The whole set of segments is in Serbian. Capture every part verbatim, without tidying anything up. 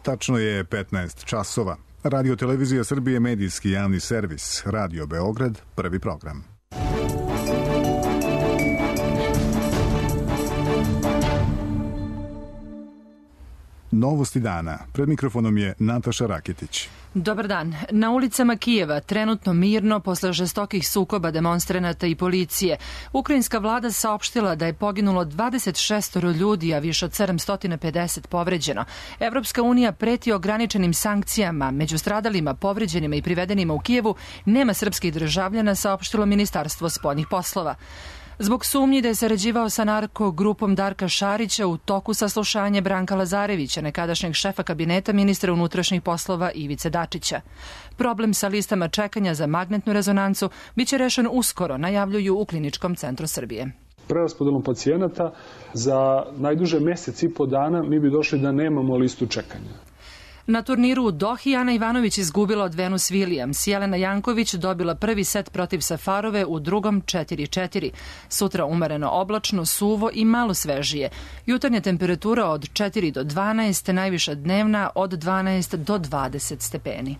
Tačno je petnaest časova. Radio Televizija Srbije, medijski javni servis. Radio Beograd, prvi program. Novosti dana. Pred mikrofonom je Nataša Raketić. Dobar dan. Na ulicama Kijeva trenutno mirno posle žestokih sukoba demonstranata i policije. Ukrajinska vlada saopštila da je poginulo dvadeset šest ljudi, a više od sedamsto pedeset povređeno. Evropska unija preti ograničenim sankcijama. Među stradalima, povređenima i privedenima u Kijevu nema srpskih državljana, saopštilo Ministarstvo spoljnih poslova. Zbog sumnji da je sarađivao sa narko grupom Darka Šarića u toku saslušanja Branka Lazarevića, nekadašnjeg šefa kabineta ministra unutrašnjih poslova Ivice Dačića. Problem sa listama čekanja za magnetnu rezonancu biće rešen uskoro, najavljuju u Kliničkom centru Srbije. Preraspodelom pacijenata za najduže mesec i po dana mi bi došli da nemamo listu čekanja. Na turniru u Dohi Ana Ivanović izgubila od Venus Williams. Jelena Janković dobila prvi set protiv Safarove, u drugom četiri četiri. Sutra umereno oblačno, suvo i malo svežije. Jutarnja temperatura od četiri do dvanaest, najviša dnevna od dvanaest do dvadeset stepeni.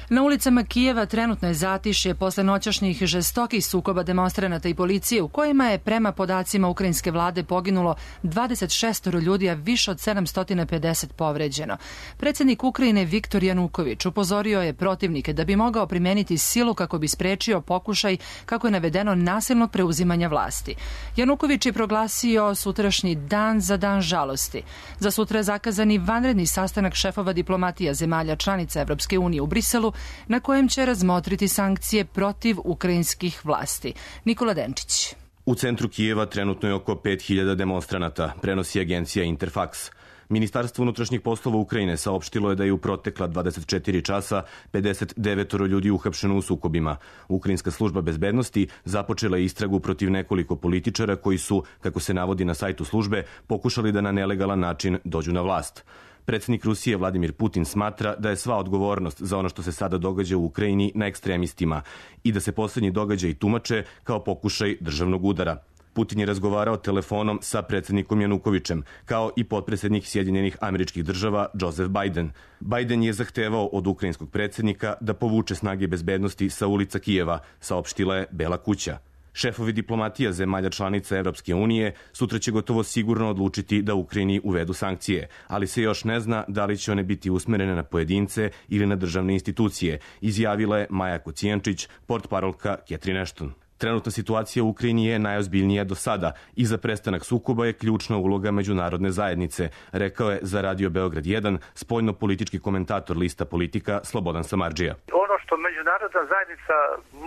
Na ulicama Kijeva trenutno je zatišje posle noćašnjih žestokih sukoba demonstranata i policije, u kojima je prema podacima ukrajinske vlade poginulo dvadeset šest ljudi, a više od sedamsto pedeset povređeno. Predsjednik Ukrajine Viktor Januković upozorio je protivnike da bi mogao primeniti silu kako bi sprečio pokušaj, kako je navedeno, nasilnog preuzimanja vlasti. Januković je proglasio sutrašnji dan za dan žalosti. Za sutra je zakazani vanredni sastanak šefova diplomatija zemalja članica Evropske unije u Briselu, na kojem će razmotriti sankcije protiv ukrajinskih vlasti. Nikola Denčić. U centru Kijeva trenutno je oko pet hiljada demonstranata, prenosi agencija Interfax. Ministarstvo unutrašnjih poslova Ukrajine saopštilo je da je u protekla dvadeset četiri časa pedeset devet ljudi uhapšeno u sukobima. Ukrajinska služba bezbednosti započela je istragu protiv nekoliko političara koji su, kako se navodi na sajtu službe, pokušali da na nelegalan način dođu na vlast. Predsjednik Rusije Vladimir Putin smatra da je sva odgovornost za ono što se sada događa u Ukrajini na ekstremistima i da se posljednji događaj tumače kao pokušaj državnog udara. Putin je razgovarao telefonom sa predsjednikom Janukovićem, kao i potpredsjednik Sjedinjenih Američkih Država Joseph Biden. Biden je zahtevao od ukrajinskog predsjednika da povuče snage bezbednosti sa ulica Kijeva, saopštila je Bela kuća. Šefovi diplomatija zemalja članica Evropske unije sutra će gotovo sigurno odlučiti da Ukrajini uvedu sankcije, ali se još ne zna da li će one biti usmerene na pojedince ili na državne institucije, izjavila je Maja Kocijančić, portparolka Catherine Ashton. Trenutna situacija u Ukrajini je najozbiljnija do sada i za prestanak sukoba je ključna uloga međunarodne zajednice, rekao je za Radio Beograd jedan spoljno-politički komentator lista Politika Slobodan Samardžija. Ono što međunarodna zajednica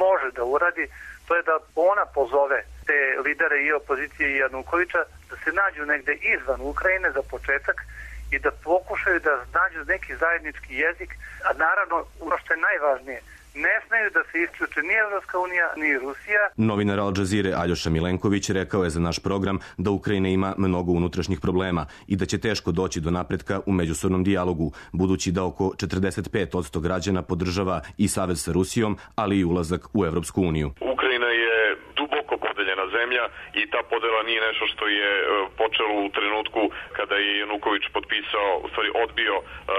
može da uradi, to je da ona pozove te lidere i opozicije i Janukovića da se nađu negde izvan Ukrajine za početak i da pokušaju da nađu neki zajednički jezik, a naravno ono što je najvažnije, ne smeju da se isključe ni Evropska unija, ni Rusija. Novinar Al Jazeere Aljoša Milenković rekao je za naš program da Ukrajina ima mnogo unutrašnjih problema i da će teško doći do napretka u međusobnom dijalogu, budući da oko četrdeset pet posto građana podržava i savez sa Rusijom, ali i ulazak u Evropsku uniju. Ukrajina je duboko podeljena zemlja i ta podela nije nešto što je počelo u trenutku kada je Januković potpisao, u stvari odbio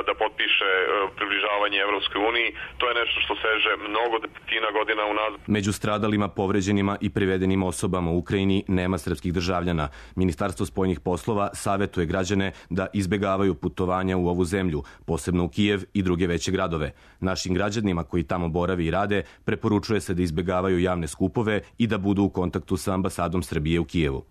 da potpiše približavanje Evropskoj uniji. To je nešto što seže mnogo desetina godina unazad. Među stradalima, povređenima i privedenim osobama u Ukrajini nema srpskih državljana. Ministarstvo spoljnih poslova savetuje građane da izbegavaju putovanja u ovu zemlju, posebno u Kijev i druge veće gradove. Našim građanima koji tamo borave i rade preporučuje se da izbegavaju javne skupove i da budu u kontaktu sa ambasadom Srbije u Kijevu.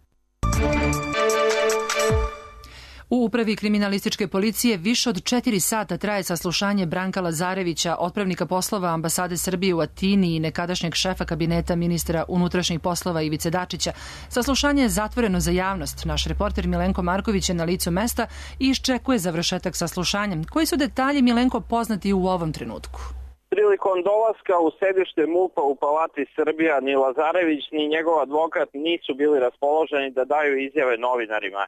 U upravi kriminalističke policije više od četiri sata traje saslušanje Branka Lazarevića, otpravnika poslova ambasade Srbije u Atini i nekadašnjeg šefa kabineta ministra unutrašnjih poslova Ivice Dačića. Saslušanje je zatvoreno za javnost. Naš reporter Milenko Marković je na licu mesta i iščekuje završetak saslušanja. Koji su detalji, Milenko, poznati u ovom trenutku? Prilikom dolaska u sedište MUP-a u Palati Srbija ni Lazarević ni njegov advokat nisu bili raspoloženi da daju izjave novinarima.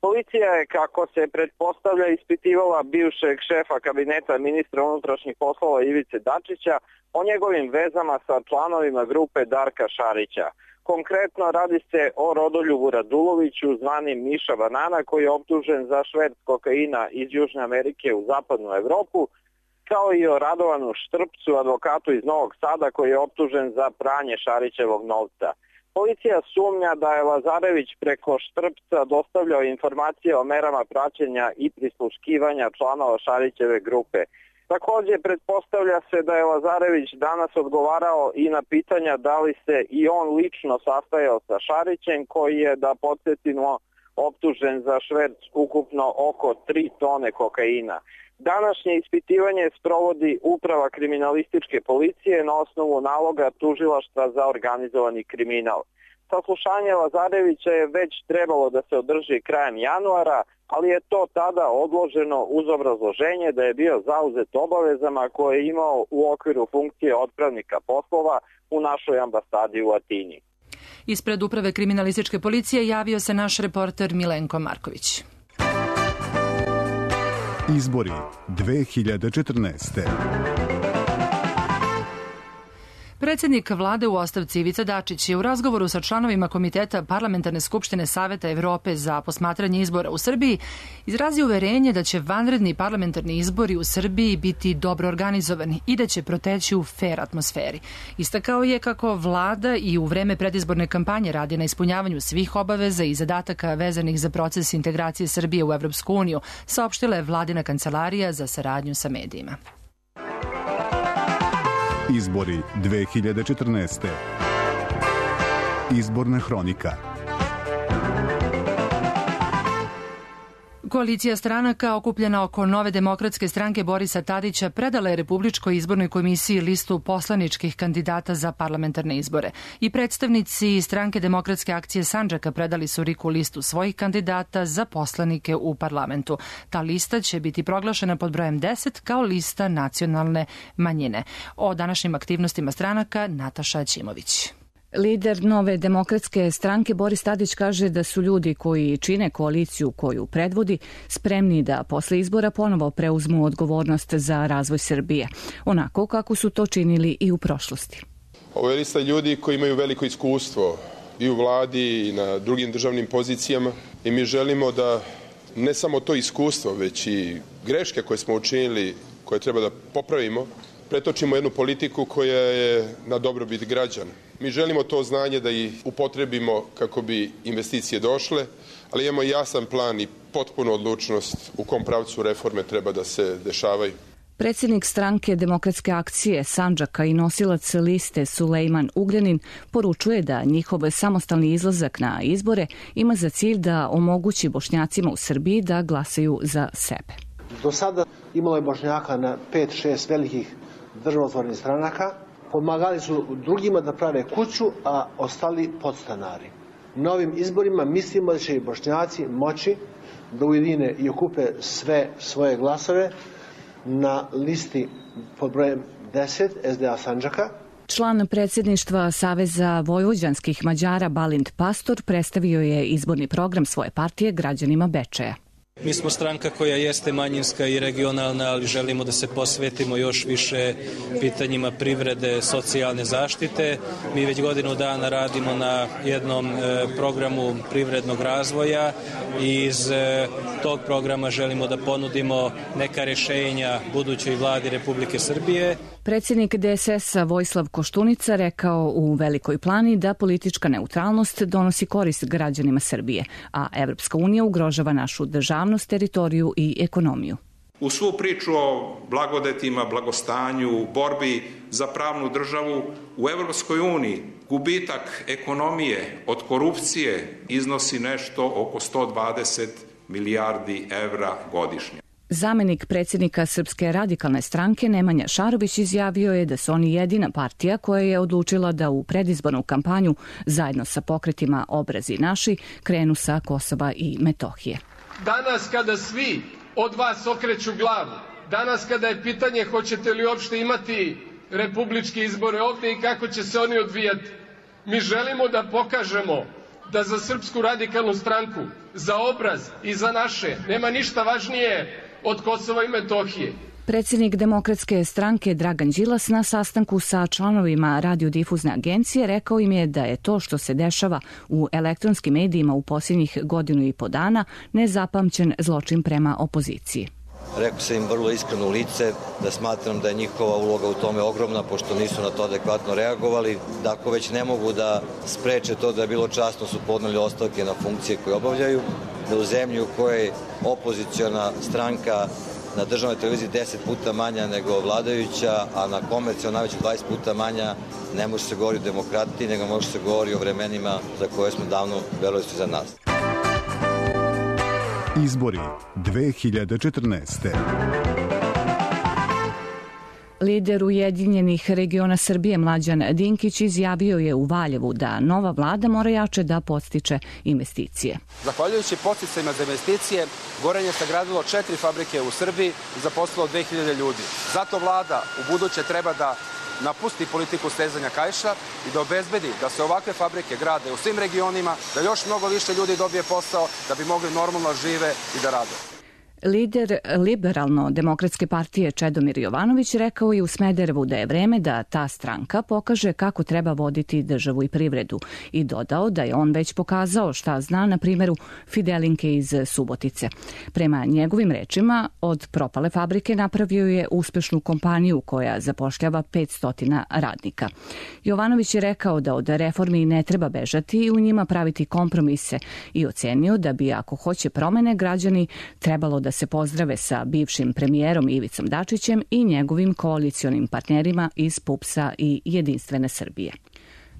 Policija je, kako se pretpostavlja, ispitivala bivšeg šefa kabineta ministra unutrašnjih poslova Ivice Dačića o njegovim vezama sa članovima grupe Darka Šarića. Konkretno radi se o Rodoljubu Raduloviću, zvanim Miša Banana, koji je optužen za šverc kokaina iz Južne Amerike u zapadnu Evropu, kao i o Radovanu Štrpcu, advokatu iz Novog Sada, koji je optužen za pranje Šarićevog novca. Policija sumnja da je Lazarević preko Štrpca dostavljao informacije o merama praćenja i prisluškivanja članova Šarićeve grupe. Također, pretpostavlja se da je Lazarević danas odgovarao i na pitanja da li se i on lično sastajao sa Šarićem, koji je, da podsjetimo, optužen za šverc ukupno oko tri tone kokaina. Današnje ispitivanje sprovodi Uprava kriminalističke policije na osnovu naloga Tužilaštva za organizovani kriminal. Saslušanje Lazarevića je već trebalo da se održi krajem januara, ali je to tada odloženo uz obrazloženje da je bio zauzet obavezama koje je imao u okviru funkcije otpravnika poslova u našoj ambasadi u Atini. Ispred Uprave kriminalističke policije javio se naš reporter Milenko Marković. Izbori dve hiljade četrnaeste. Predsjednik vlade u ostavci Ivica Dačić je u razgovoru sa članovima Komiteta Parlamentarne skupštine Saveta Evrope za posmatranje izbora u Srbiji izrazio uverenje da će vanredni parlamentarni izbori u Srbiji biti dobro organizovani i da će proteći u fer atmosferi. Istakao je kako vlada i u vreme predizborne kampanje radi na ispunjavanju svih obaveza i zadataka vezanih za proces integracije Srbije u Evropsku uniju, saopštila je vladina kancelarija za saradnju sa medijima. Izbori dve hiljade četrnaeste. Izborna hronika. Koalicija stranaka okupljena oko Nove demokratske stranke Borisa Tadića predala je Republičkoj izbornoj komisiji listu poslaničkih kandidata za parlamentarne izbore. I predstavnici stranke Demokratske akcije Sandžaka predali su RIK-u listu svojih kandidata za poslanike u parlamentu. Ta lista će biti proglašena pod brojem deset kao lista nacionalne manjine. O današnjim aktivnostima stranaka Nataša Ćimović. Lider Nove demokratske stranke Boris Tadić kaže da su ljudi koji čine koaliciju koju predvodi spremni da posle izbora ponovo preuzmu odgovornost za razvoj Srbije, onako kako su to činili i u prošlosti. Ovo je lista ljudi koji imaju veliko iskustvo i u vladi i na drugim državnim pozicijama i mi želimo da ne samo to iskustvo, već i greške koje smo učinili, koje treba da popravimo, pretočimo jednu politiku koja je na dobrobit građana. Mi želimo to znanje da ih upotrebimo kako bi investicije došle, ali imamo jasan plan i potpunu odlučnost u kom pravcu reforme treba da se dešavaju. Predsjednik stranke Demokratske akcije Sandžaka i nosilac liste Sulejman Ugljanin poručuje da njihov samostalni izlazak na izbore ima za cilj da omogući Bošnjacima u Srbiji da glasaju za sebe. Do sada imalo je Bošnjaka na pet šest velikih državotvornih stranaka, pomagali su drugima da prave kuću, a ostali podstanari. Na ovim izborima mislimo da će i Bošnjaci moći da ujedine i okupe sve svoje glasove na listi pod brojem deset S D A Sandžaka. Član predsjedništva Saveza vojvođanskih Mađara Balint Pastor predstavio je izborni program svoje partije građanima Bečeja. Mi smo stranka koja jeste manjinska i regionalna, ali želimo da se posvetimo još više pitanjima privrede, socijalne zaštite. Mi već godinu dana radimo na jednom programu privrednog razvoja i iz tog programa želimo da ponudimo neka rješenja budućoj vladi Republike Srbije. Predsjednik D S S-a Vojislav Koštunica rekao u Velikoj Plani da politička neutralnost donosi korist građanima Srbije, a Evropska unija ugrožava našu državnost, teritoriju i ekonomiju. U svu priču o blagodetima, blagostanju, borbi za pravnu državu u Evropskoj uniji gubitak ekonomije od korupcije iznosi nešto oko sto dvadeset milijardi evra godišnje. Zamenik predsjednika Srpske radikalne stranke Nemanja Šarović izjavio je da su oni jedina partija koja je odlučila da u predizbornu kampanju zajedno sa pokretima Obrazi naši krenu sa Kosova i Metohije. Danas kada svi od vas okreću glavu, danas kada je pitanje hoćete li uopšte imati republičke izbore ovdje i kako će se oni odvijati, mi želimo da pokažemo da za Srpsku radikalnu stranku, za Obraz i za naše nema ništa važnije od Kosova i Metohije. Predsjednik Demokratske stranke Dragan Đilas na sastanku sa članovima radiodifuzne agencije rekao im je da je to što se dešava u elektronskim medijima u posljednjih godinu i po dana nezapamćen zločin prema opoziciji. Rekao sam im vrlo iskreno u lice da smatram da je njihova uloga u tome ogromna, pošto nisu na to adekvatno reagovali, da ako već ne mogu da spreče to da je bilo časno su podneli ostavke na funkcije koje obavljaju, da u zemlji u kojoj opoziciona stranka na državnoj televiziji deset puta manja nego vladajuća, a na komercijalnoj najveće dvadeset puta manja, ne može se govori o demokratiji, nego može se govori o vremenima za koje smo davno verovali za nas. Izbori dve hiljade četrnaeste. Lider Ujedinjenih regiona Srbije Mlađan Dinkić izjavio je u Valjevu da nova vlada mora jače da podstiče investicije. Zahvaljujući podsticajima za investicije, Gorenje je sagradilo četiri fabrike u Srbiji i zaposlilo dve hiljade ljudi. Zato vlada u buduće treba da napusti politiku stezanja kaiša i da obezbedi da se ovakve fabrike grade u svim regionima, da još mnogo više ljudi dobije posao, da bi mogli normalno žive i da rade. Lider Liberalno-demokratske partije Čedomir Jovanović rekao je u Smederevu da je vreme da ta stranka pokaže kako treba voditi državu i privredu i dodao da je on već pokazao šta zna na primjeru Fidelinke iz Subotice. Prema njegovim rečima, od propale fabrike napravio je uspešnu kompaniju koja zapošljava petsto radnika. Jovanović je rekao da od reformi ne treba bežati i u njima praviti kompromise i ocenio da bi ako hoće promene građani trebalo da se pozdrave sa bivšim premijerom Ivicom Dačićem i njegovim koalicionim partnerima iz PUPS-a i Jedinstvene Srbije.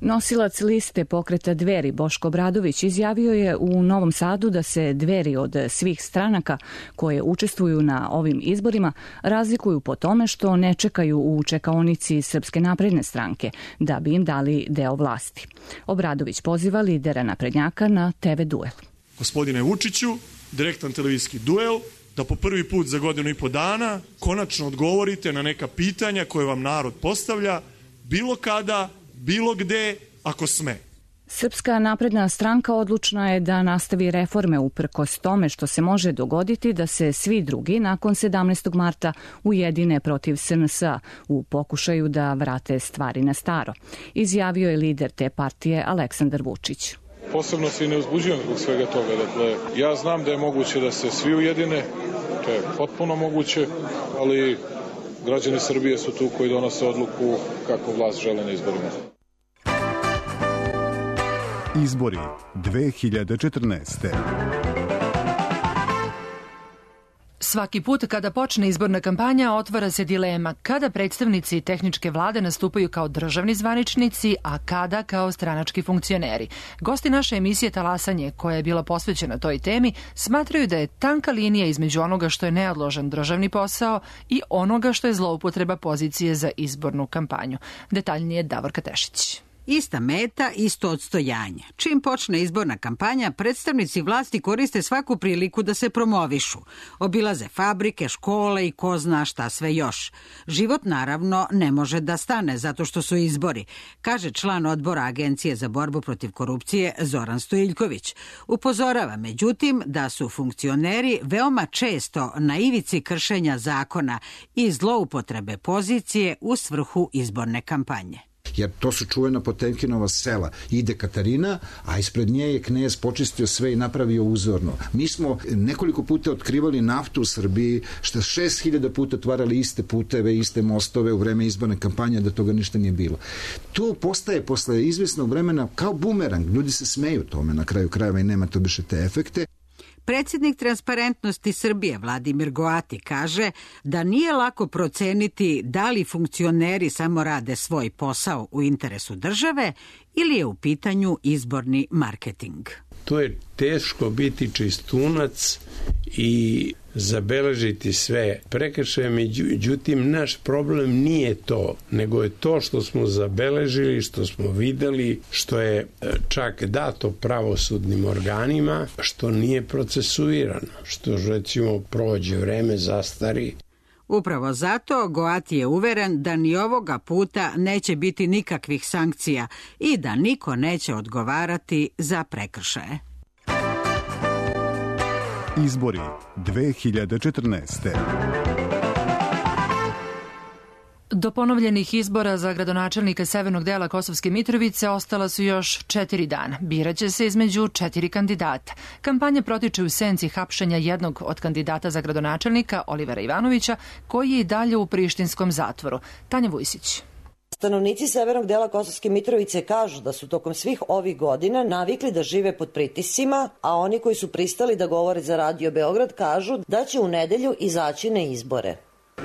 Nosilac liste pokreta Dveri Boško Obradović izjavio je u Novom Sadu da se Dveri od svih stranaka koje učestvuju na ovim izborima razlikuju po tome što ne čekaju u čekaonici Srpske napredne stranke da bi im dali deo vlasti. Obradović poziva lidera naprednjaka na te ve duel. Gospodine Vučiću, direktan televizijski duel, da po prvi put za godinu i po dana konačno odgovorite na neka pitanja koje vam narod postavlja, bilo kada, bilo gde, ako sme. Srpska napredna stranka odlučna je da nastavi reforme uprkos tome što se može dogoditi da se svi drugi nakon sedamnaestog marta ujedine protiv es en es a u pokušaju da vrate stvari na staro, izjavio je lider te partije Aleksandar Vučić. Posebno se i ne uzbuđujem zbog svega toga. Dakle, ja znam da je moguće da se svi ujedine, to je potpuno moguće, ali građani Srbije su tu koji donose odluku kako vlast žele na izborima. Izbori dve hiljade četrnaeste. Svaki put kada počne izborna kampanja otvara se dilema kada predstavnici tehničke vlade nastupaju kao državni zvaničnici, a kada kao stranački funkcioneri. Gosti naše emisije Talasanje, koja je bila posvećena toj temi, smatraju da je tanka linija između onoga što je neodložan državni posao i onoga što je zloupotreba pozicije za izbornu kampanju. Detaljnije Davorka Tešić. Ista meta, isto odstojanje. Čim počne izborna kampanja, predstavnici vlasti koriste svaku priliku da se promovišu. Obilaze fabrike, škole i ko zna šta sve još. Život naravno ne može da stane zato što su izbori, kaže član odbora Agencije za borbu protiv korupcije Zoran Stojiljković. Upozorava međutim da su funkcioneri veoma često na ivici kršenja zakona i zloupotrebe pozicije u svrhu izborne kampanje. Jer to su čuvena Potemkinova sela. Ide Katarina, a ispred nje je knez počistio sve i napravio uzorno. Mi smo nekoliko puta otkrivali naftu u Srbiji, što šest hiljada puta otvarali iste puteve, iste mostove u vreme izborne kampanje, da toga ništa nije bilo. To postaje posle izvesnog vremena kao bumerang. Ljudi se smeju tome na kraju krajeva i nema to više te efekte. Predsjednik Transparentnosti Srbije Vladimir Goati kaže da nije lako proceniti da li funkcioneri samo rade svoj posao u interesu države ili je u pitanju izborni marketing. To je teško biti čistunac i zabeležiti sve prekršaje, međutim naš problem nije to, nego je to što smo zabeležili, što smo videli, što je čak dato pravosudnim organima, što nije procesuirano, što recimo prođe vreme, zastari. Upravo zato Goati je uveren da ni ovoga puta neće biti nikakvih sankcija i da niko neće odgovarati za prekršaje. Izbori dve hiljade četrnaeste. Do ponovljenih izbora za gradonačelnika severnog dela Kosovske Mitrovice ostala su još četiri dana. Biraće se između četiri kandidata. Kampanja protiče u senci hapšenja jednog od kandidata za gradonačelnika, Olivera Ivanovića, koji je i dalje u prištinskom zatvoru. Tanja Vujsić. Stanovnici severnog dela Kosovske Mitrovice kažu da su tokom svih ovih godina navikli da žive pod pritiscima, a oni koji su pristali da govore za Radio Beograd kažu da će u nedelju izaći na izbore.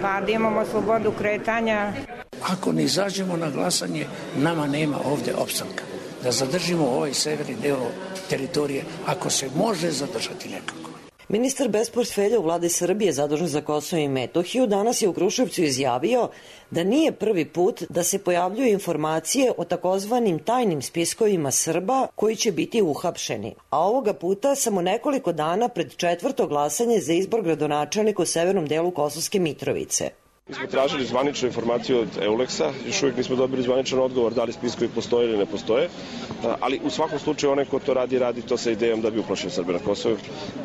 Pa da imamo slobodu kretanja. Ako ne izađemo na glasanje, nama nema ovde opstanka. Da zadržimo ovaj severni deo teritorije, ako se može zadržati nekako. Ministar bez portfelja u vladi Srbije zadužen za Kosovo i Metohiju danas je u Kruševcu izjavio da nije prvi put da se pojavljuju informacije o takozvanim tajnim spiskovima Srba koji će biti uhapšeni. A ovoga puta samo nekoliko dana pred četvrto glasanje za izbor gradonačelnika u severnom delu Kosovske Mitrovice. Mi smo tražili zvaničnu informaciju od Euleksa, još uvijek nismo dobili zvaničan odgovor da li spiskovi postoje ili ne postoje, ali u svakom slučaju onaj ko to radi, radi to sa idejom da bi uplašio Srbe na Kosovu,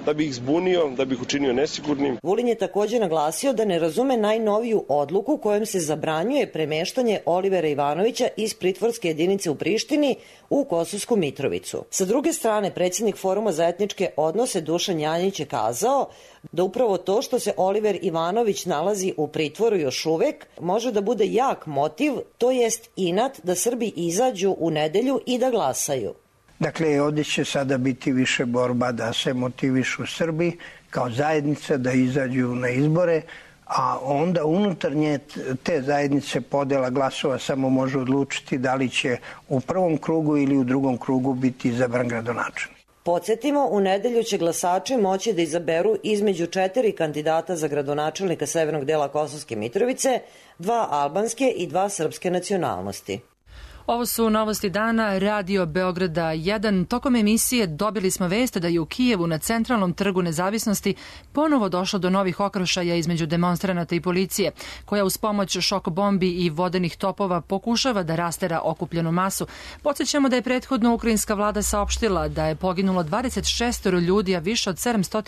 da bi ih zbunio, da bi ih učinio nesigurnim. Vulin je također naglasio da ne razume najnoviju odluku kojom se zabranjuje premeštanje Olivera Ivanovića iz pritvorske jedinice u Prištini u Kosovsku Mitrovicu. Sa druge strane, predsjednik Foruma za etničke odnose Dušan Janjić je kazao da upravo to što se Oliver Ivanović nalazi u pritvoru još uvek može da bude jak motiv, to jest inat da Srbi izađu u nedelju i da glasaju. Dakle, ovdje će sada biti više borba da se motivišu Srbi kao zajednica da izađu na izbore, a onda unutarnje te zajednice podela glasova samo može odlučiti da li će u prvom krugu ili u drugom krugu biti izabran gradonačelnik. Podsjetimo, u nedelju će glasači moći da izaberu između četiri kandidata za gradonačelnika severnog dela Kosovske Mitrovice, dva albanske i dva srpske nacionalnosti. Ovo su novosti dana Radio Beograda jedan. Tokom emisije dobili smo vest da je u Kijevu na centralnom trgu Nezavisnosti ponovo došlo do novih okršaja između demonstranata i policije, koja uz pomoć šok bombi i vodenih topova pokušava da rastera okupljenu masu. Podsjećamo da je prethodno ukrajinska vlada saopštila da je poginulo dvadeset šest ljudi, a više od sedamsto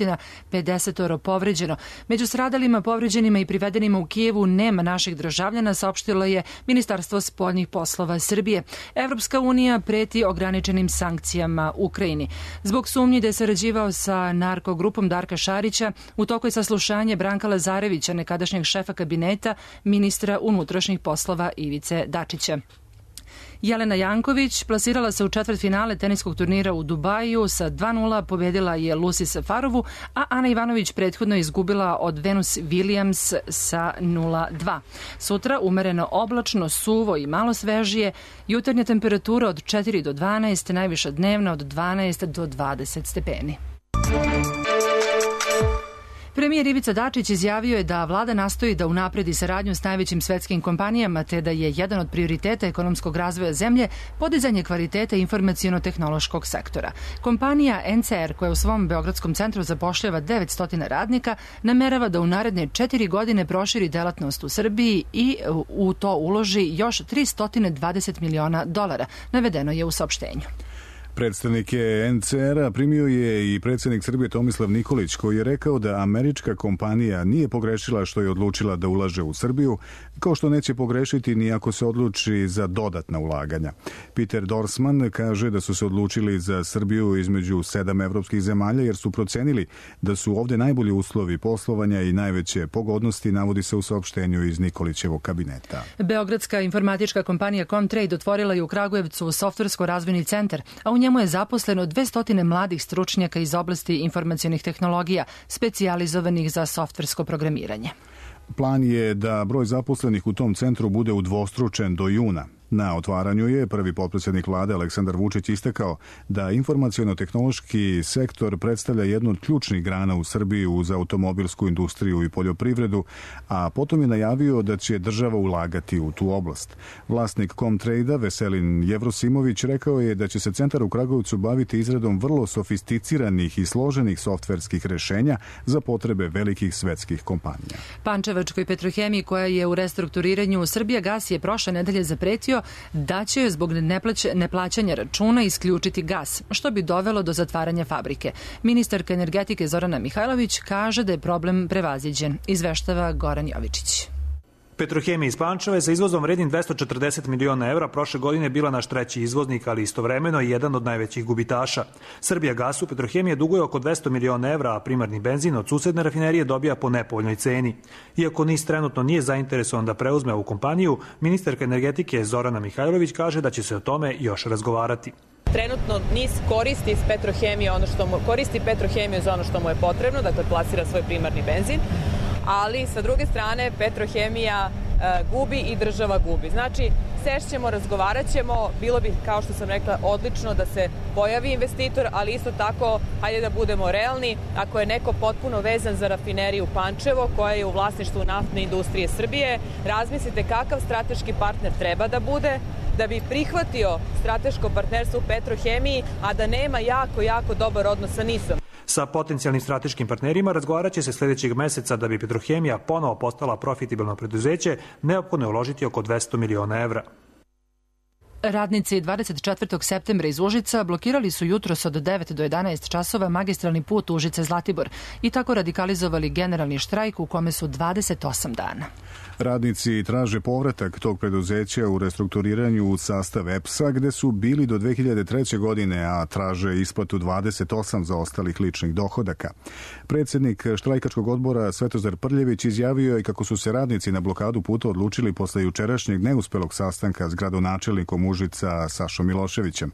pedeset povređeno. Među stradalima, povređenima i privedenima u Kijevu nema naših državljana, saopštilo je Ministarstvo spoljnih poslova Srbije. Evropska unija preti ograničenim sankcijama Ukrajini. Zbog sumnji da je sarađivao sa narkogrupom Darka Šarića, u toku je saslušanje Branka Lazarevića, nekadašnjeg šefa kabineta ministra unutrašnjih poslova Ivice Dačića. Jelena Janković plasirala se u četvrtfinale teniskog turnira u Dubaju, sa dva nula pobedila je Lucy Safarovu, a Ana Ivanović prethodno izgubila od Venus Williams sa nula dva. Sutra umereno oblačno, suvo i malo svežije, jutarnja temperatura od četiri do dvanaest, najviša dnevna od dvanaest do dvadeset stepeni. Premijer Ivica Dačić izjavio je da vlada nastoji da unapredi saradnju s najvećim svetskim kompanijama, te da je jedan od prioriteta ekonomskog razvoja zemlje podizanje kvaliteta informaciono-tehnološkog sektora. Kompanija N C R, koja u svom beogradskom centru zapošljava devetsto radnika, namerava da u naredne četiri godine proširi delatnost u Srbiji i u to uloži još tristo dvadeset miliona dolara, navedeno je u saopštenju. Predstavnike N C R-a primio je i predsjednik Srbije Tomislav Nikolić, koji je rekao da američka kompanija nije pogrešila što je odlučila da ulaže u Srbiju, kao što neće pogrešiti ni ako se odluči za dodatna ulaganja. Peter Dorsman kaže da su se odlučili za Srbiju između sedam evropskih zemalja jer su procenili da su ovde najbolji uslovi poslovanja i najveće pogodnosti, navodi se u saopštenju iz Nikolićevog kabineta. Beogradska informatička kompanija Comtrade otvorila je u Kragujevcu softversko-razvojni centar, a u njemu je zaposleno dvesta mladih stručnjaka iz oblasti informacionih tehnologija, specijalizovanih za softversko programiranje. Plan je da broj zaposlenih u tom centru bude udvostručen do juna. Na otvaranju je prvi potpredsjednik vlade Aleksandar Vučić istakao da informaciono-tehnološki sektor predstavlja jednu od ključnih grana u Srbiji uz automobilsku industriju i poljoprivredu, a potom je najavio da će država ulagati u tu oblast. Vlasnik Comtrade-a Veselin Jevrosimović rekao je da će se centar u Kragujevcu baviti izradom vrlo sofisticiranih i složenih softverskih rešenja za potrebe velikih svetskih kompanija. Pančevačkoj Petrohemiji, koja je u restrukturiranju, Srbijagas je prošle nedelje zapretio da će joj zbog neplaćanja računa isključiti gas, što bi dovelo do zatvaranja fabrike. Ministarka energetike Zorana Mihajlović kaže da je problem prevaziđen, izveštava Goran Jovičić. Petrohemija iz Pančeva je sa izvozom vrednim dvesta četrdeset miliona evra prošle godine bila naš treći izvoznik, ali istovremeno i jedan od najvećih gubitaša. Srbija gasu Petrohemija duguje oko dvesta miliona evra, a primarni benzin od susedne rafinerije dobija po nepovoljnoj ceni. Iako N I S trenutno nije zainteresovan da preuzme ovu kompaniju, ministarka energetike Zorana Mihajlović kaže da će se o tome još razgovarati. Trenutno N I S koristi iz Petrohemije ono što mu, koristi Petrohemiju za ono što mu je potrebno, dakle plasira svoj primarni benzin, ali sa druge strane Petrohemija e, gubi i država gubi. Znači, sešćemo, razgovarat ćemo, bilo bi, kao što sam rekla, odlično da se pojavi investitor, ali isto tako, hajde da budemo realni, ako je neko potpuno vezan za rafineriju Pančevo, koja je u vlasništvu naftne industrije Srbije, razmislite kakav strateški partner treba da bude, da bi prihvatio strateško partnerstvo u Petrohemiji, a da nema jako, jako dobar odnos sa N I S-om. Sa potencijalnim strateškim partnerima razgovarat će se sljedećeg meseca da bi Petrohemija ponovo postala profitabilno preduzeće, neophodno je uložiti oko dvesta miliona evra. Radnici dvadeset četvrtog septembra iz Užica blokirali su jutros od devet do jedanaest časova magistralni put Užice-Zlatibor i tako radikalizovali generalni štrajk u kome su dvadeset osam dana. Radnici traže povratak tog preduzeća u restrukturiranju u sastav E P S-a gde su bili do dve hiljade treće. godine, a traže isplatu dvadeset osam zaostalih ličnih dohodaka. Predsjednik štrajkačkog odbora Svetozar Prljević izjavio je kako su se radnici na blokadu puta odlučili posle jučerašnjeg neuspelog sastanka s gradonačelnikom Užica Sašom Miloševićem.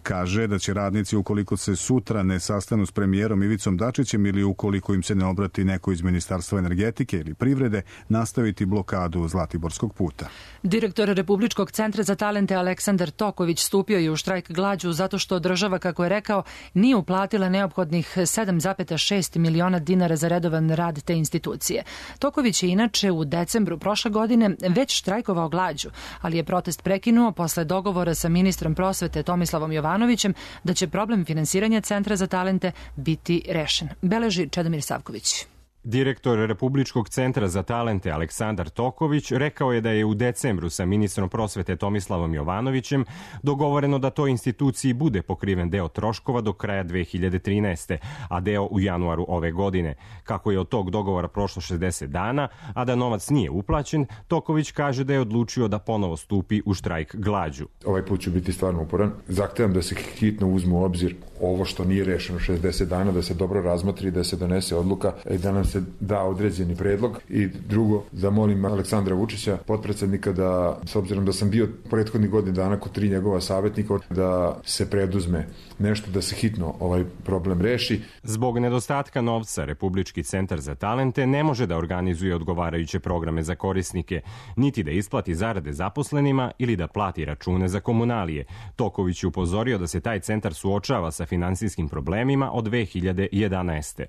Kaže da će radnici, ukoliko se sutra ne sastanu s premijerom Ivicom Dačićem ili ukoliko im se ne obrati neko iz Ministarstva energetike ili privrede, nastaviti blokadu Zlatiborskog puta. Direktor Republičkog centra za talente Aleksandar Toković stupio je u štrajk glađu zato što država, kako je rekao, nije uplatila neophodnih sedam zarez šest miliona dinara za redovan rad te institucije. Toković je inače u decembru prošle godine već štrajkovao glađu, ali je protest prekinuo posle dogovora sa ministrom prosvete Tomislavom Jovanovićem da će problem finansiranja Centra za talente biti rešen. Beleži Čedomir Savković. Direktor Republičkog centra za talente Aleksandar Toković rekao je da je u decembru sa ministrom prosvete Tomislavom Jovanovićem dogovoreno da toj instituciji bude pokriven deo troškova do kraja dve hiljade trinaeste. a deo u januaru ove godine. Kako je od tog dogovora prošlo šezdeset dana, a da novac nije uplaćen, Toković kaže da je odlučio da ponovo stupi u štrajk glađu. Ovaj put ću biti stvarno uporan. Zahtevam da se hitno uzmu u obzir ovo što nije rešeno šezdeset dana, da se dobro razmotri, da se donese odluka i da nam se da određeni predlog. I drugo, zamolim Aleksandra Vučića, potpredsednika, da, s obzirom da sam bio prethodnih godina dana kod tri njegova savjetnika, da se preduzme nešto, da se hitno ovaj problem reši. Zbog nedostatka novca, Republički centar za talente ne može da organizuje odgovarajuće programe za korisnike, niti da isplati zarade zaposlenima ili da plati račune za komunalije. Toković je upozorio da se taj centar suočava sa finansijskim problemima od dve hiljade jedanaeste.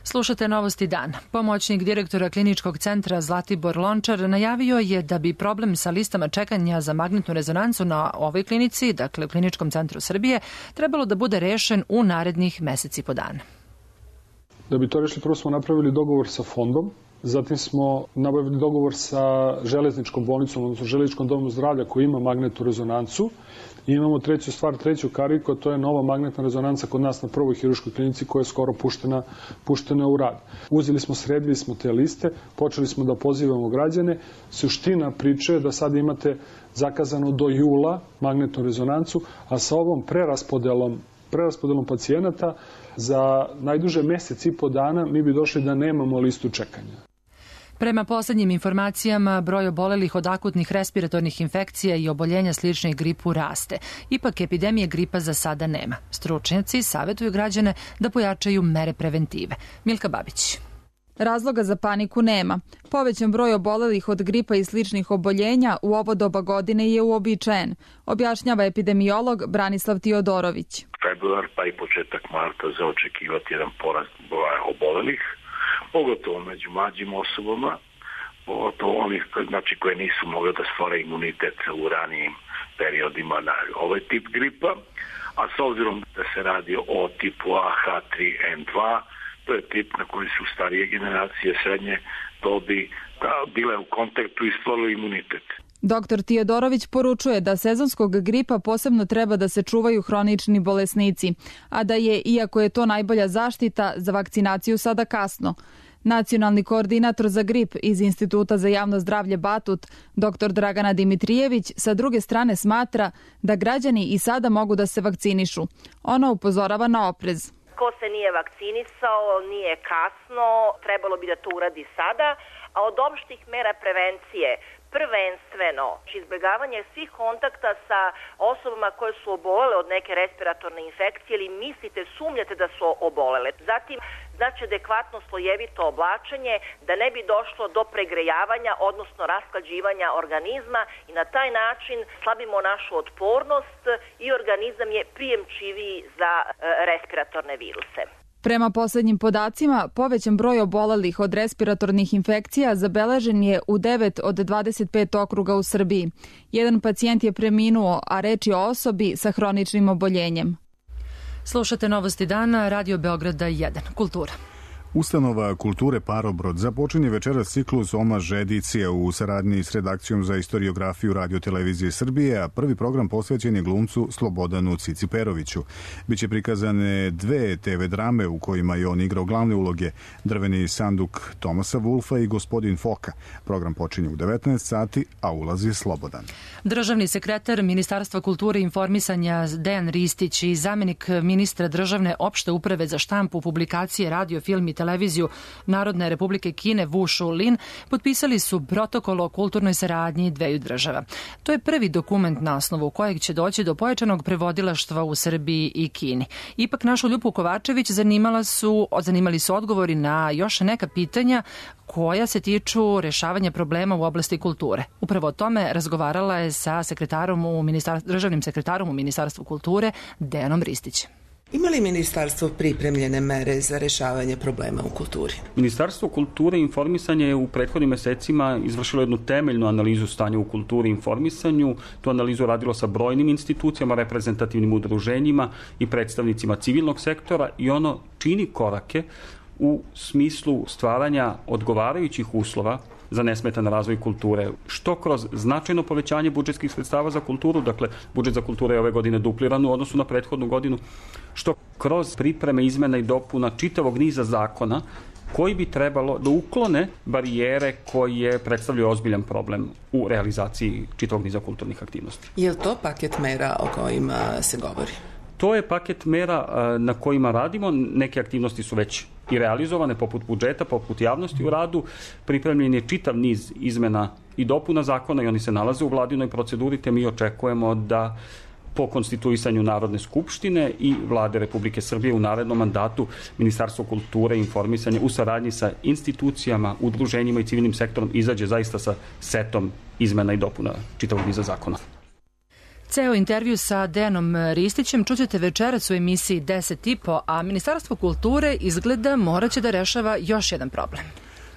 Slušate Novosti dan. Pomoćnik direktora Kliničkog centra Zlatibor Lončar najavio je da bi problem sa listama čekanja za magnetnu rezonancu na ovoj klinici, dakle u Kliničkom centru Srbije, trebalo da bude rešen u narednih meseci po dana. Da bi to rešili, prvo smo napravili dogovor sa fondom, zatim smo nabavili dogovor sa železničkom bolnicom, odnosno železničkom domu zdravlja koji ima magnetnu rezonancu. I imamo treću stvar, treću kariku, a to je nova magnetna rezonanca kod nas na prvoj hirurškoj klinici koja je skoro puštena, puštena u rad. Uzeli smo, sredili smo te liste, počeli smo da pozivamo građane. Suština priče je da sad imate zakazano do jula magnetnu rezonancu, a sa ovom preraspodelom, preraspodelom pacijenata za najduže mesec i po dana mi bi došli da nemamo listu čekanja. Prema poslednjim informacijama, broj obolelih od akutnih respiratornih infekcija i oboljenja sličnih gripu raste. Ipak epidemije gripa za sada nema. Stručnjaci savjetuju građane da pojačaju mere preventive. Milka Babić. Razloga za paniku nema. Povećan broj obolelih od gripa i sličnih oboljenja u ovo doba godine je uobičajen, objašnjava epidemiolog Branislav Tiodorović. Februar pa i početak marta za očekivati jedan porast broja obolelih, pogotovo među mlađim osobama, pogotovo onih znači, koje nisu mogle da stvore imunitet u ranijim periodima na ovaj tip gripa, a s obzirom da se radi o tipu A H tri N dva, to je tip na koji su starije generacije srednje dobi bile u kontaktu i stvorili imunitet. Doktor Tiodorović poručuje da sezonskog gripa posebno treba da se čuvaju hronični bolesnici, a da je, iako je to najbolja zaštita, za vakcinaciju sada kasno. Nacionalni koordinator za grip iz Instituta za javno zdravlje Batut, dr Dragana Dimitrijević, sa druge strane smatra da građani i sada mogu da se vakcinišu. Ona upozorava na oprez. Ko se nije vakcinisao, nije kasno, trebalo bi da to uradi sada, a od opštih mera prevencije prvenstveno izbjegavanje svih kontakta sa osobama koje su obolele od neke respiratorne infekcije ili mislite, sumnjate da su obolele. Zatim, znači adekvatno slojevito oblačenje da ne bi došlo do pregrejavanja, odnosno rasklađivanja organizma i na taj način slabimo našu otpornost i organizam je prijemčiviji za respiratorne viruse. Prema poslednjim podacima, povećan broj obolelih od respiratornih infekcija zabeležen je u devet od dvadeset pet okruga u Srbiji. Jedan pacijent je preminuo, a reč je o osobi sa hroničnim oboljenjem. Slušate Novosti dana, Radio Beograda jedan. Kultura. Ustanova kulture Parobrod započinje večeras ciklus Omaž edicija u saradnji s redakcijom za istoriografiju Radio-televizije Srbije, a prvi program posvećen je glumcu Slobodanu Ciciperoviću. Biće prikazane dve te ve drame u kojima je on igrao glavne uloge, Drveni sanduk Tomasa Vulfa i Gospodin Foka. Program počinje u devetnaest sati, a ulazi slobodan. Državni sekretar Ministarstva kulture i informisanja Dejan Ristić i zamenik ministra državne opšte uprave za štampu, publikacije, radio, film i televiziju Narodne Republike Kine Wu Shulin potpisali su protokol o kulturnoj saradnji dveju država. To je prvi dokument na osnovu kojeg će doći do pojačanog prevodilaštva u Srbiji i Kini. Ipak našu Ljubu Kovačević zanimala su, zanimali su odgovori na još neka pitanja koja se tiču rešavanja problema u oblasti kulture. Upravo o tome razgovarala je sa sekretarom u državnim sekretarom u Ministarstvu kulture Dejanom Ristićem. Ima li ministarstvo pripremljene mere za rešavanje problema u kulturi? Ministarstvo kulture i informisanja je u prethodnim mesecima izvršilo jednu temeljnu analizu stanja u kulturi i informisanju. Tu analizu radilo sa brojnim institucijama, reprezentativnim udruženjima i predstavnicima civilnog sektora i ono čini korake u smislu stvaranja odgovarajućih uslova za nesmetan razvoj kulture, što kroz značajno povećanje budžetskih sredstava za kulturu, dakle budžet za kulturu je ove godine dupliran u odnosu na prethodnu godinu, što kroz pripreme izmena i dopuna čitavog niza zakona koji bi trebalo da uklone barijere koje predstavljaju ozbiljan problem u realizaciji čitavog niza kulturnih aktivnosti. Je li to paket mera o kojima se govori? To je paket mera na kojima radimo. Neke aktivnosti su već i realizovane, poput budžeta, poput javnosti u radu. Pripremljen je čitav niz izmena i dopuna zakona i oni se nalaze u vladinoj proceduri, te mi očekujemo da po konstituisanju Narodne skupštine i Vlade Republike Srbije u narednom mandatu Ministarstvo kulture i informisanja u saradnji sa institucijama, udruženjima i civilnim sektorom izađe zaista sa setom izmena i dopuna čitavog niza zakona. Ceo intervju sa Dejanom Ristićem čućete večeras u emisiji deset i po, a Ministarstvo kulture izgleda moraće da rešava još jedan problem.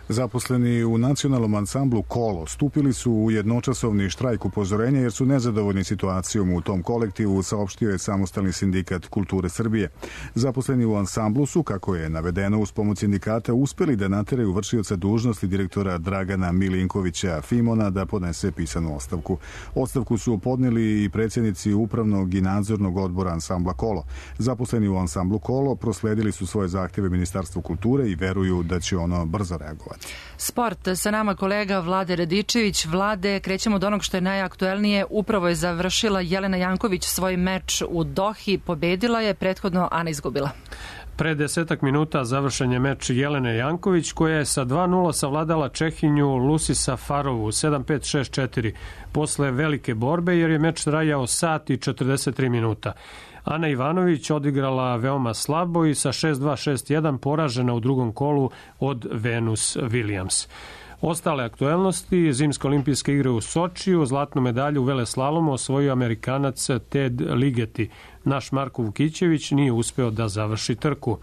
Zaposleni u nacionalnom ansamblu Kolo stupili su u jednočasovni štrajk upozorenja jer su nezadovoljni situacijom u tom kolektivu, saopštio je Samostalni sindikat kulture Srbije. Zaposleni u ansamblu su, kako je navedeno, uz pomoć sindikata uspeli da nateraju vršioca dužnosti direktora Dragana Milinkovića Fimona da podnese pisanu ostavku. Ostavku su podneli i predsjednici upravnog i nadzornog odbora ansambla Kolo. Zaposleni u ansamblu Kolo prosledili su svoje zahtjeve Ministarstvu kulture i veruju da će ono brzo reagovati. Sport, sa nama kolega Vlade Radičević. Vlade, krećemo od onog što je najaktuelnije. Upravo je završila Jelena Janković svoj meč u Dohi. Pobedila je, prethodno Ana izgubila. Pre desetak minuta završen je meč Jelene Janković, koja je sa dva nula savladala Čehinju Lusi Safarovu sedam pet šest četiri posle velike borbe, jer je meč trajao sat i četrdeset tri minuta. Ana Ivanović odigrala veoma slabo i sa šest dva šest jedan poražena u drugom kolu od Venus Williams. Ostale aktuelnosti: zimske olimpijske igre u Sočiju, zlatnu medalju u veleslalomu osvojio Amerikanac Ted Ligeti. Naš Marko Vukićević nije uspeo da završi trku.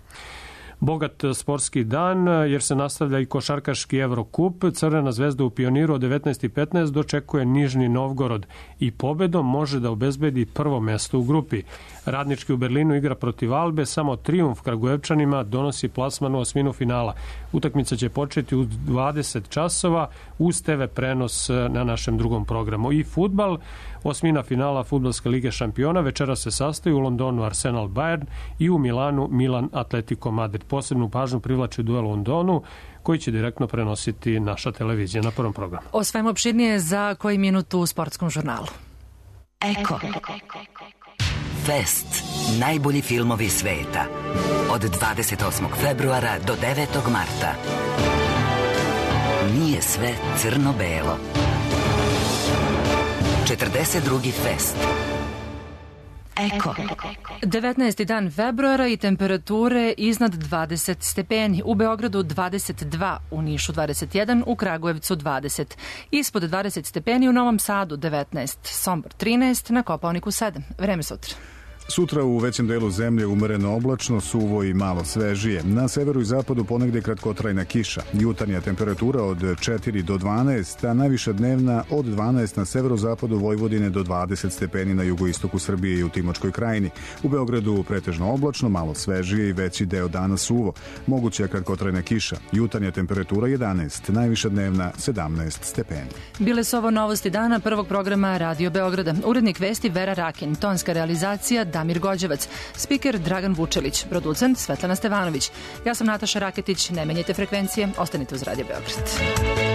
Bogat sportski dan, jer se nastavlja i košarkaški Evrokup. Crvena zvezda u Pioniru od devetnaest i petnaest dočekuje Nižni Novgorod i pobedom može da obezbedi prvo mesto u grupi. Radnički u Berlinu igra protiv Albe, samo trijumf Kragujevčanima donosi plasman u osminu finala. Utakmica će početi u dvadeset časova uz te ve prenos na našem drugom programu. I fudbal, Osmina finala Fudbalske lige šampiona večera se sastoji u Londonu Arsenal Bayern i u Milanu Milan Atletico Madrid. Posebnu pažnju privlači duel u Londonu, koji će direktno prenositi naša televizija na prvom programu. O svemu opširnije za koji minut u sportskom žurnalu. Eko. Fest. Najbolji filmovi sveta. Od dvadeset osmog februara do devetog marta. Nije sve crno-belo. četrdeset drugi fest. Eko. devetnaesti dan februara i temperature iznad dvadeset stepeni. U Beogradu dvadeset dva, u Nišu dvadeset jedan, u Kragujevcu dvadeset. Ispod dvadeset stepeni u Novom Sadu devetnaest, Sombor trinaest, na Kopaoniku sedam. Vreme sutra. Sutra u većem delu zemlje umereno oblačno, suvo i malo svežije. Na severu i zapadu ponegde kratkotrajna kiša. Jutarnja temperatura od četiri do dvanaest, a najviša dnevna od dvanaest na severozapadu Vojvodine do dvadeset stepeni na jugoistoku Srbije i u Timočkoj krajini. U Beogradu pretežno oblačno, malo svežije i veći deo dana suvo. Moguća kratkotrajna kiša. Jutarnja temperatura jedanaest, najviša dnevna sedamnaest stepeni. Bile su ovo novosti dana prvog programa Radio Beograda. Urednik vesti Vera Rakin, tonska realizacija Damir Gođevac, spiker Dragan Vučelić, producent Svetlana Stevanović. Ja sam Nataša Raketić, ne menjajte frekvencije, ostanite uz Radio Beograd.